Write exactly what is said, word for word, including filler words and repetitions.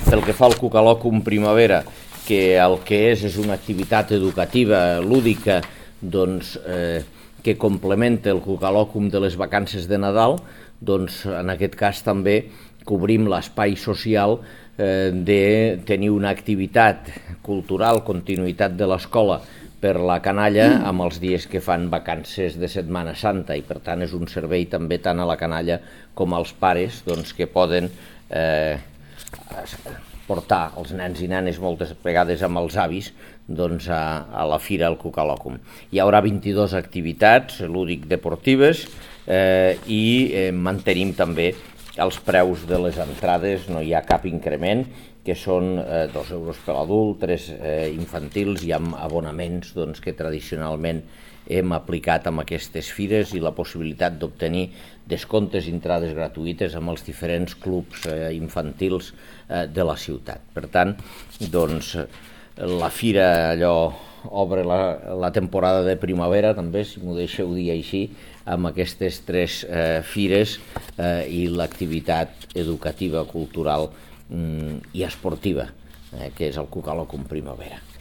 pel que fa al Cucalòcum Primavera, que el que és és una activitat educativa, lúdica, doncs, eh, que complementa el Cucalòcum de les vacances de Nadal, doncs en aquest cas també cobrim l'espai social eh, de tenir una activitat cultural, continuïtat de l'escola per la canalla amb els dies que fan vacances de Setmana Santa, i per tant és un servei també tant a la canalla com als pares, doncs, que poden eh, portar els nens i nenes moltes vegades amb els avis doncs, a, a la fira al Cucalòcum. Hi haurà vint-i-dues activitats lúdic-deportives eh, i eh, mantenim també els preus de les entrades, no hi ha cap increment, que són eh, dos euros per adult, tres eh, infantils, i amb abonaments doncs, que tradicionalment hem aplicat amb aquestes fires, i la possibilitat d'obtenir descomptes i entrades gratuïtes amb els diferents clubs eh, infantils eh, de la ciutat. Per tant, doncs, la fira allò obre la, la temporada de primavera, també, si m'ho deixeu dir així, amb aquestes tres eh, fires eh, i l'activitat educativa, cultural mm, i esportiva, eh, que és el Cucalòcum Primavera.